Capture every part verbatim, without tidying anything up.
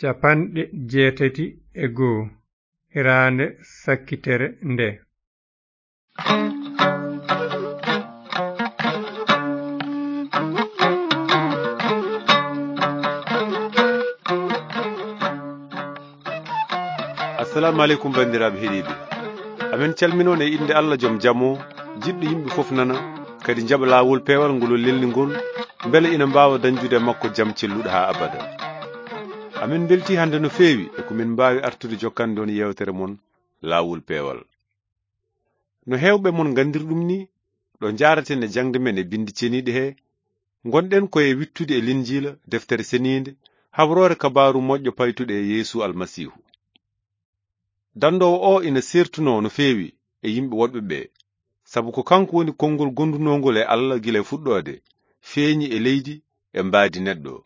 Capanɗe jeetati e goo, hiraande sakkitere nde. Assalamu aleykum, banndiraaɓe heɗiiɓe. Amin calminoon e innde Allah joom jam o, jiɗɗo yimɓe fof nana, kadi jaɓa laawol peewal ngol o lelni ngol, mbele ina mbaawa dañjude e makko jam celluɗo haa abada. Amin mbeltii hannde no feewi e ko min mbaawi artude jokkande on yeewtere mon, Laawol Peewal. No heewɓe mon nganndiri ɗum ni, ɗo njaaraten e jaŋde men e Binndi Ceniiɗi he, ngonɗen ko e wittude e Linjiila, Deftere Seniinde, habroore kabaaru moƴƴo paytuɗo e Yeesu Almasiihu. Danndoowo o ina seertunoo no feewi e yimɓe woɗɓe ɓe, sabu ko kanko woni konngol gondunoongol e Allah gila e fuɗɗoode, feeñi e leydi e mbaadi neɗɗo.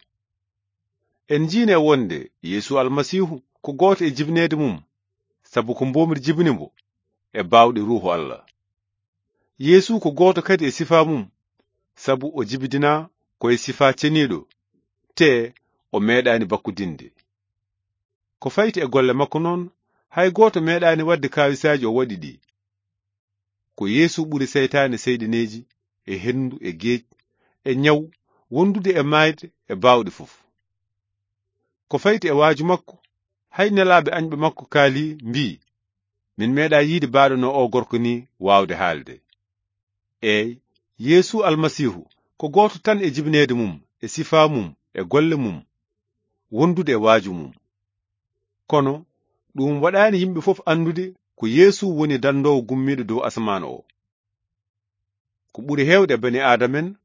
En njiine wonde Yeesu Almasiihu ko gooto e jibineede mum, sabu ko mboomri jibini mbo e baawɗe Ruuhu Allah. Yeesu ko gooto kadi e sifaa mum, sabu o jibidinaa ko e sifaa ceniiɗo, te o meeɗaani bakkudinde. Ko fayti e golle makko noon, hay gooto meeɗaani waɗde kaawisaaji o waɗi ɗi. Ko Yeesu ɓuri seytaane seyɗineeji, e henndu, e geej, e ñaw, wondude e maayde, e baawɗe fof. Ko fayti e waaju makko, hay nelaaɓe añɓe makko kaali, mbii, "Min meeɗaa yiide baaɗo no o gorko ni waawde haalde." Eey, Yeesu Almasiihu ko gooto tan e jibineede mum, e sifaa mum, e golle mum, wondude e waaju mum. Kono ɗum waɗaani yimɓe fof anndude ko Yeesu woni danndoowo gummiiɗo dow asamaan o. Ko ɓuri heewde e bani Aadama en,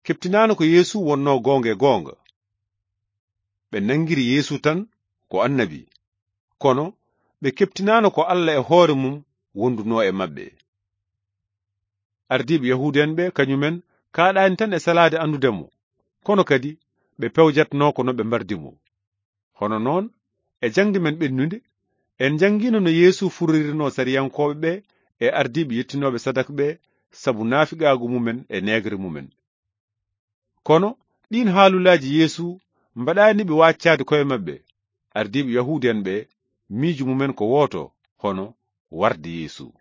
keɓtinaano ko Yeesu wonnoo goonga e goonga. Ɓe nanngiri Yeesu tan ko annabi, kono ɓe keɓtinaano ko Allah e hoore mum wondunoo e maɓɓe. Ardiiɓe Yahuudu en ɓe, kañum en, kaaɗaani tan e salaade anndude mo, kono kadi ɓe pewjatnoo ko no ɓe mbardi mo. Hono noon, e jaŋde men ɓennunde, en njanngiino no Yeesu furririnoo sariyankooɓe ɓe e ardiiɓe yettinooɓe sadak ɓe sabu naafiqaagu mumen e neegre mumen. Kono ɗiin haalulaaji Yeesu mbaɗaani ɓe waaccaade koye maɓɓe. Ardiiɓe Yahuudu en ɓe, miijo mumen ko wooto, hono warde Yeesu.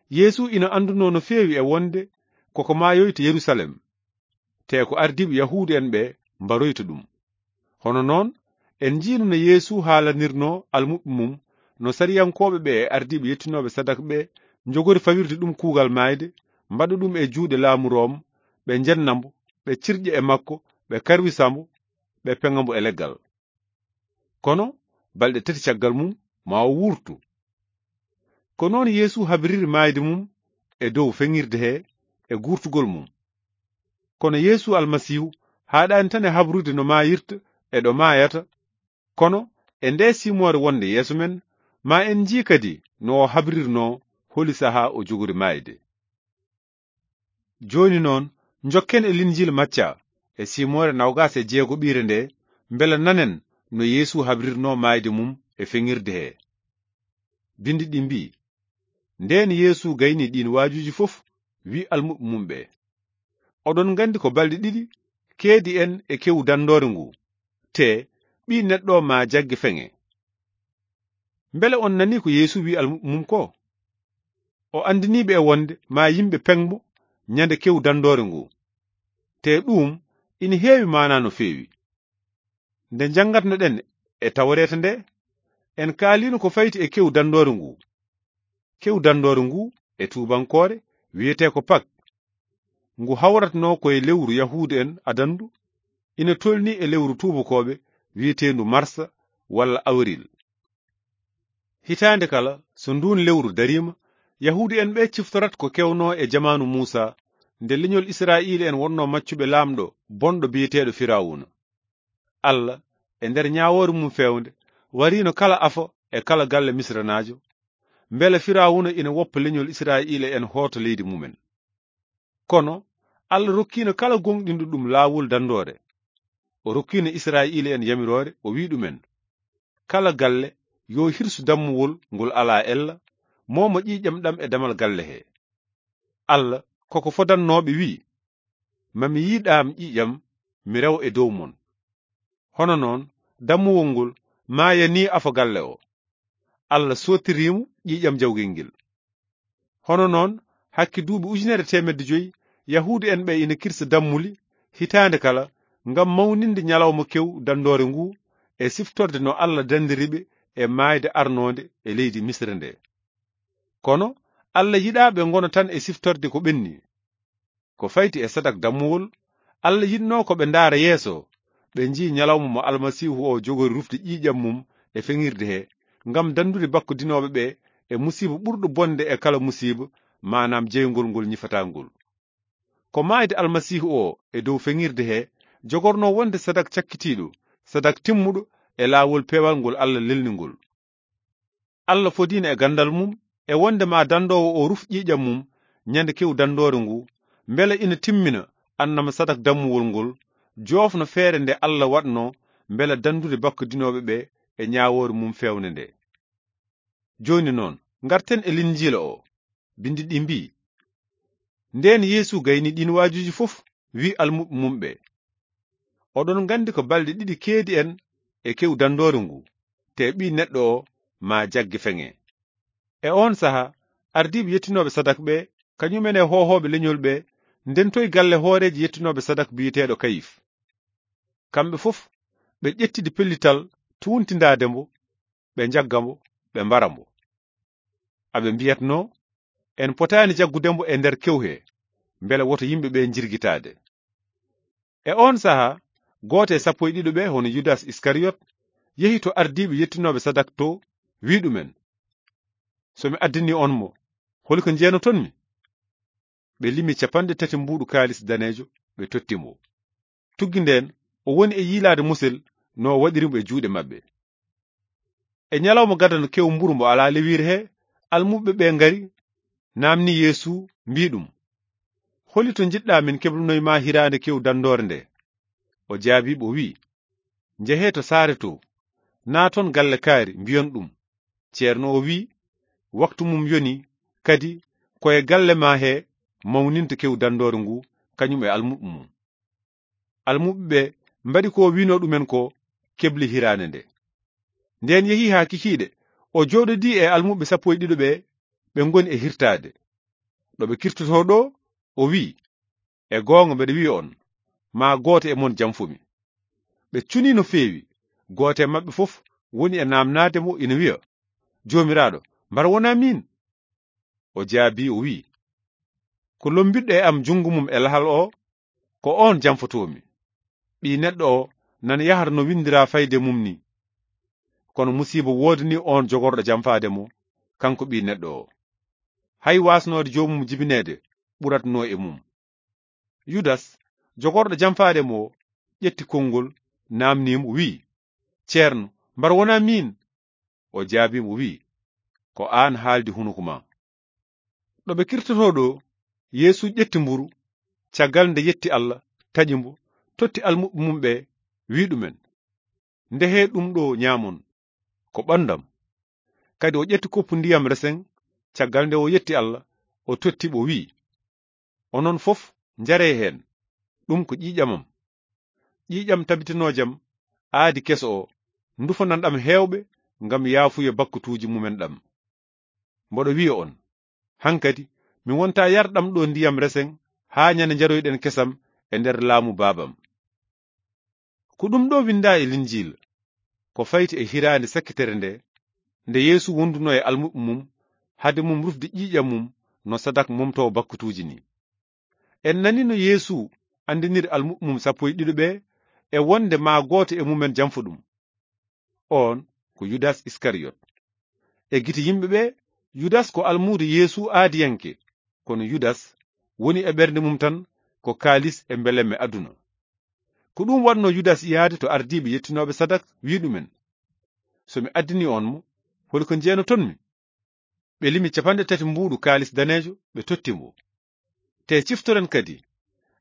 Yeesu ina anndunoo no feewi e wonde koko maayoyta Yerusalem, te ko ardiiɓe Yahuudu en ɓe mbaroyta ɗum. Hono noon, en njiino no Yeesu haalanirnoo almuɓɓe mum, no sariyankooɓe ɓe e ardiiɓe yettinooɓe sadak ɓe njogori fawirde ɗum kuugal maayde, mbaɗa ɗum e juuɗe laamu Room, ɓe njenna mbo, ɓe cirƴa e makko, ɓe karwisa mbo, ɓe peŋa mbo e leggal. Kono balɗe tati caggal mum, ma o wuurtu. Ko noon Yeesu habiriri maayde mum e dow feŋirde he e guurtugol mum. Kono Yeesu Almasiihu haaɗaani tan e habrude no maayirta e ɗo maayata, kono e nde simoore wonde yeeso men, ma en njii kadi no o habririnoo holi sahaa o jogori maayde. Jooni noon, njokken e Linjiila Macca, e simoore nawgaas e jeegoɓiire nde, mbela nanen no Yeesu habrirnoo maayde mum e feŋirde he. Binndi ɗi mbii, ndeen Yeesu gayni ɗiin waajuuji fof, wi almuɓɓe mum ɓe, "Oɗon nganndi ko balɗe ɗiɗi keedi en e kewu danndoore ngu, te Ɓii Neɗɗo maa jagge feŋe." Mbele on nanii ko Yeesu wi almuɓɓe mum ko? O anndinii ɓe e wonde maa yimɓe peŋ mo ñande kewu danndoore ngu. Te ɗuum ina heewi maanaa no feewi. Nde njanngatnoɗen e Tawreeta nde, en kaaliino ko fayti e kewu danndoore ngu. Kewu danndoore ngu e tuubankoore wiyetee ko Pak. Ngu hawratnoo ko e lewru Yahuudu en adanndu, ina tolnii e lewru tuubakooɓe wiyeteendu Marsa walla Awril. Hitaande kala, so nduun lewru dariima, Yahuudu en ɓe ciftorat ko kewnoo e jamaanu Muusa, nde leñol Israa'iila en wonnoo maccuɓe laamɗo bonɗo biyeteeɗo Firawuna. Allah, e nder ñaawoore mum feewnde, wariino kala afo e kala galle Misranaajo, mbela Firawuna ina woppa leñol Israa'iila en hoota leydi mumen. Kono Allah rokkiino kala gooŋɗinɗo ɗum laawol danndoore. O rokkiino Israa'iila en yamiroore, o wi'i ɗumen, "Kala galle yo hirsu dammuwol ngol alaa ella, moomo ƴiiƴam ɗam e damal galle he." Allah koko fodannooɓe wi'i, "Ma mi yiɗaam ƴiiƴam, mi rewa e dow mon." Hono noon, dammuwol ngol maaya ni afo galle o. Allah sottiriimo ƴiiƴam jawgel ngel. Hono noon, hakke duuɓi ujunere teemedde joyi, Yahuudu'en ɓe ina kirsa dammuli hitaande kala ngam mawninde ñalawma kew danndoore ngu e siftorde no Allah danndiri ɓe e maayde arnoonde e leydi Misra nde. Kono Allah yiɗaa ɓe ngona tan e siftorde ko ɓenni. Ko fayti e sadak dammuwol, Allah yiɗnoo ko ɓe ndaara yeeso, ɓe njii ñalawma mo Almasiihu o jogori rufde ƴiiƴam mum e feŋirde he, ngam danndude bakkudinooɓe ɓe e musiiba ɓurɗo bonde e kala musiiba, maanaam jeyngol ngol ñifataa ngol. Ko maayde Almasiihu o e dow feŋirde he jogornoo wonde sadak cakkitiiɗo, sadak timmuɗo e laawol peewal ngol Allah lelni ngol. Allah fodiino e ganndal mum e wonde ma danndoowo o ruf ƴiiƴam mum ñande kew danndoore ngu, mbele ina timmina annama sadak dammuwol ngol, joofno feere nde Allah waɗno mbele danndude bakkudinooɓe ɓe e ñaawoore mum feewnde nde. Jooni noon, ngarten e Linjiila o. Binndi ɗi mbii, ndeen Yeesu gayni ɗiin waajuuji fof, wii almuɓɓe mum ɓe, "Oɗon nganndi ko balɗe ɗiɗi keedi en e kew danndoore ngu, te Ɓii Neɗɗo o maa jagge feŋe." E oon saha, ardiiɓe yettinooɓe sadak ɓe, kañumen e hoohooɓe leñol ɓe, ndentoyi galle hooreejo yettinooɓe sadak biyeteeɗo Kayif. Kamɓe fof, ɓe ƴettidi pellital tuuntindaade mbo, ɓe njagga mbo, ɓe mbara mbo. Aɓe mbiyatnoo, "En potaani jaggude mbo e nder kew he, mbele woto yimɓe ɓe njirgitaade." E oon saha, gooto e sappo e ɗiɗo ɓe, hono Yudas Iskariyot, yehi to ardiiɓe yettinooɓe sadak to, wii ɗumen, "So mi addanii on mo, holi ko njeenaton mi?" Ɓe limi capanɗe tati mbuuɗu kaalis daneejo, ɓe totti mo. Tuggi ndeen, o woni e yiilaade musel no o waɗiri mo e juuɗe maɓɓe. E ñalawma gadano kew mburu mbo alaa lewiire he, almuɓɓe ɓe ngari, naamni Yeesu, mbii ɗum, "Holi to njiɗɗaa min keblunoy ma hiraande kew danndoore nde?" O jaabii ɓe, o wii, "Njehee to saare to, naaton galle kaari, mbiyon ɗum, 'Ceerno o wii, waktu mum yoni, kadi ko e galle ma he mawninta kew danndoore ngu, kañum e almuɓɓe mum.'" Almuɓɓe ɓe mbaɗi ko o wiinoo ɗumen ko, kebli hiraande nde. Ndeen yehi haa kikiiɗe, o jooɗodii e almuɓɓe sappo e ɗiɗo ɓe, ɓe ngoni e hirtaade. Ɗo ɓe kirtotoo ɗo, o wii, "E goonga mbeɗa wiya on, maa gooto e mon jamfo mi." Ɓe cunii no feewi, gooto e maɓɓe fof woni e naamnaade mo ina wiya, "Joomiraaɗo, mbar wonaa miin?" O jaabii, o wii, "Ko lommbiɗɗo e am junngo mum e lahal o, ko oon jamfotoo mi. Ɓii Neɗɗo o nana yahra no winndiraa fayde mum ni. Kono musiiba woodanii oon jogorɗo jamfaade mo, kanko Ɓii Neɗɗo o. Hay waasnoode joomum jibineede ɓuratnoo e mum." Yudas, jogorɗo jamfaade mo o, ƴetti konngol, naamnii mo, wii, "Ceerno, mbar wonaa miin?" O jaabii mo, wii, "Ko aan haaldi hunuko ma." Ɗo ɓe kirtotoo ɗo, Yeesu ƴetti mburu, caggal nde yetti Allah, taƴi mbo, totti almuɓɓe mum ɓe, wii ɗumen, "Ndehee ɗum ɗo ñaamon, ko ɓanndam." Kadi o ƴetti koppu ndiyam resen, caggal nde o yetti Allah, o totti ɓe, o wii, "Onon fof njaree heen, ɗum ko ƴiiƴam am. Ƴiiƴam tabitinoojam aadi keso o, ndufanan ɗam heewɓe ngam yaafuya bakkutuuji mumen ɗam. Mboɗo wiya on, hankadi mi wonta yarɗam ɗo ndiyam resen haa ñande njaroyɗen kesam e nder laamu Baabam." Ko ɗum ɗo winndaa e Linjiila, ko fayti e hiraande sakkitere nde, nde Yeesu wondunoo e almuɓɓe mum, hade mum rufde ƴiiƴam mum no sadak momtoowo bakkutuuji ni. En nanino Yeesu anndiniri almuɓɓe mum sappo e ɗiɗo ɓe e wonde maa gooto e mumen jamfo ɗum. Oon ko Yudas Iskariyot. E gite yimɓe ɓe, Yudas ko almuudo Yeesu aadiyanke, kono Yudas woni e ɓernde mum tan ko kaalis e mbelemme aduna. Ko ɗum waɗno Yudas yaade to ardiiɓe yettinooɓe sadak, wii ɗumen, "So mi addini on mo, holi ko njeenaton mi?" Ɓe limi capanɗe tati mbuuɗu kaalis daneejo, ɓe totti mo. Te ciftoren kadi,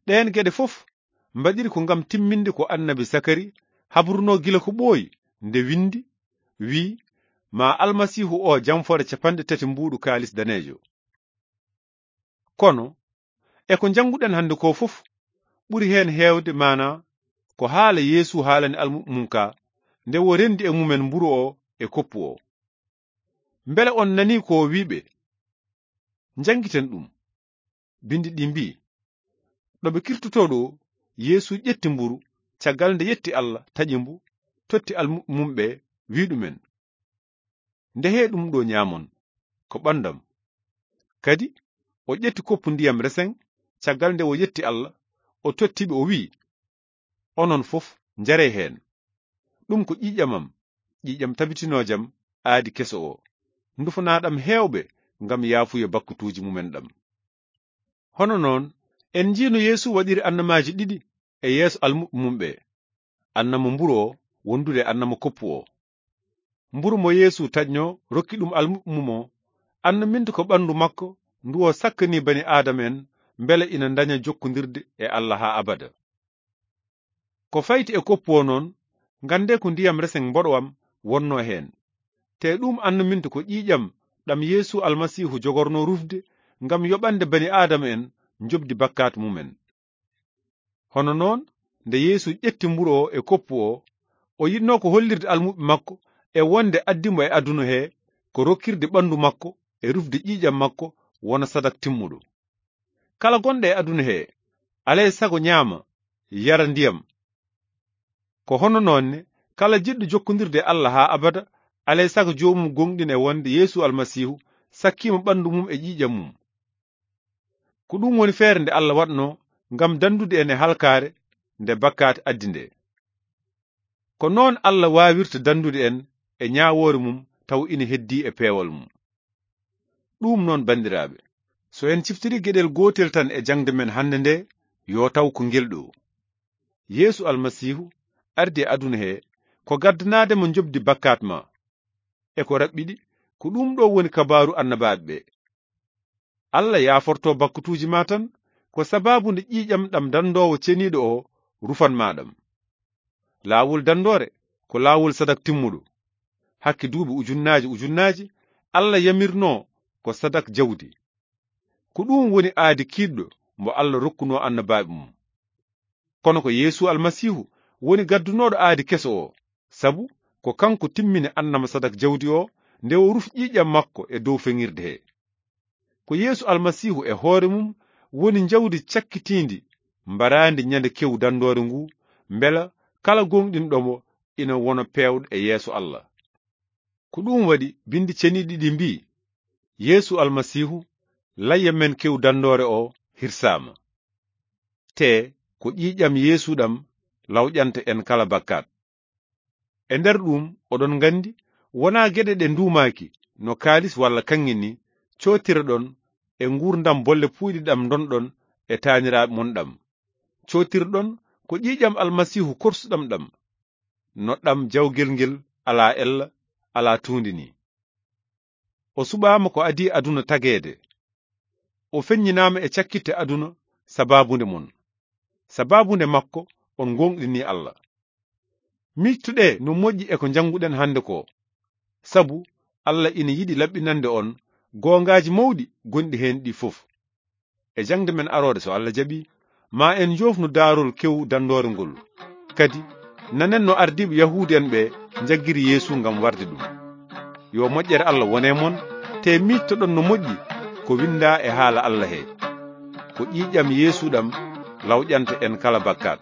ɗeen geɗe fof mbaɗiri ko ngam timminde ko annabi Sakari habrunoo gila ko ɓooyi, nde winndi, wii, "Ma Almasiihu o jamfore capanɗe tati mbuuɗu kaalis daneejo." Kono, e ko njannguɗen hannde ko fof, ɓuri heen heewde maanaa ko haala Yeesu haalani almuɓɓe mum ka, nde o rendi e mumen mburu o e koppu o. Mbele on nanii ko o wi'i ɓe? Njangiten ɗum. Bindi ɗi mbi'i, ɗo ɓe kirtotoo ɗo, Yeesu ƴetti mburu, caggal nde yetti Allah, taƴi mbu, totti almuɓɓe mum ɓe, wi'i ɗumen, "Ndehee ɗum ɗo nyaamon, ko ɓandam." Kadi o ƴetti koppu ndiyam resen, caggal nde o yetti Allah, o totti ɓe, o wi'i, "Onon fof, njaree heen. Ɗum ko ƴiiƴam am, ƴiiƴam tabitinoojam aadi keso o, ndufanaaɗam heewɓe ngam yaafuye bakkutuuji mumen ɗam." Hono noon, en njiino Yeesu waɗiri annamaaji ɗiɗi e yeeso almuɓɓe mum ɓe, annama mburu o wondude e annama koppu o. Mburu mo Yeesu taƴno rokki ɗum almuɓɓe mum o, annaminta ko ɓanndu makko ndu o sakkani bani Aadama en, mbele ina ndaña jokkondirde e Allah haa abada. Ko fayti e koppu o noon, nganndee ko ndiyam resen mboɗo am wonno heen. Te ɗum annaminta ko ƴiiƴam ɗam Yeesu Almasiihu jogorno rufde ngam yoɓande bani Aadama en njoɓdi bakkaat mumen. Hono noon, nde Yeesu ƴetti mburu o e koppu o, o yiɗno ko hollirde almuɓɓe makko e wonde addi mo e aduna he ko rokkirde ɓanndu makko e rufde ƴiiƴam makko wona sadak timmuɗo. Kala gonɗo e aduna he, alay sago nyaama, yara ndiyam. Ko hono noon ne, kala jiɗɗo jokkondirde e Allah haa abada, alay sago joomum goongɗina e wonde Yeesu Almasiihu sakkiima ɓanndu mum e ƴiiƴam mum. Ko ɗum woni feere nde Allah waɗno ngam dandude en e halkaare nde bakkaat addi nde. Ko noon Allah waawirta dandude en e ñaawoore mum taw ina heddii e peewal mum. Ɗum noon, banndiraaɓe, so en ciftiri geɗel gootel tan e jaŋde men hannde nde, yo taw ko ngel ɗo. Yeesu Almasiihu ardi e aduna he ko gaddanaade mo njoɓdi bakkaat ma. E ko raɓɓiɗi, ko ɗum ɗo woni kabaaru annabaaɓe ɓe. Allah yaaforto bakkutuuji ma tan ko sabaabu nde ƴiiƴam ɗam dandoowo ceniiɗo o rufan ma ɗam. Laawol dandoore ko laawol sadak timmuɗo. Hakke duuɓi ujunnaaji ujunnaaji, Allah yamirno ko sadak jawdi. Ko ɗum woni aadi kiiɗɗo mbo Allah rokkuno annabaaɓe mum. Kono ko Yeesu Almasiihu woni gaddunooɗo aadi keso o, sabu ko kanko timmini annama sadak jawdi o, nde o rufi ƴiiƴam makko e dow feŋirde he. Ko Yeesu Almasiihu e hoore mum woni njawdi cakkitiindi mbaraandi ñande kew dandoore ngu, mbela kala gooŋɗinɗo mo ina wona peewɗo e yeeso Allah. Ko ɗum waɗi Binndi Ceniiɗi ɗi mbi'i, "Yeesu Almasiihu, layya men kew dandoore o hirsaama." Te ko ƴiiƴam Yeesu ɗam lawƴanta en kala bakkaat. E nder ɗum, oɗon nganndi, wonaa geɗe ɗe nduumaaki, no kaalis walla kaŋŋe ni, cootireɗon e nguurndam bolle puuyɗe ɗam ndonɗon e taaniraaɓe mon ɗam. Cootirɗon ko ƴiiƴam Almasiihu korsuɗam ɗam, no ɗam jawgel ngel alaa ella, alaa tuundi ni. O suɓaama ko adii aduna tageede. O feññinaama e cakkitte aduna sabaabu nde mon. Sabaabu nde makko on gooŋɗini Allah. Miijtoɗee no moƴƴi e ko njannguɗen hannde ko. Sabu Allah ina yiɗi laɓɓinande on goongaaji mawɗi gonɗi heen ɗi fof. E jaŋde men aroore, so Allah jaɓi, ma en njoofnu daarol kew dandoore ngol. Kadi, nanen no ardiiɓe Yahuudi en ɓe njaggiri Yeesu ngam warde ɗum. Yo moƴƴere Allah wone mon, te miijtoɗon no moƴƴi ko winndaa e haala Allah he. Ko ƴiiƴam Yeesu ɗam lawƴanta en kala bakkaat.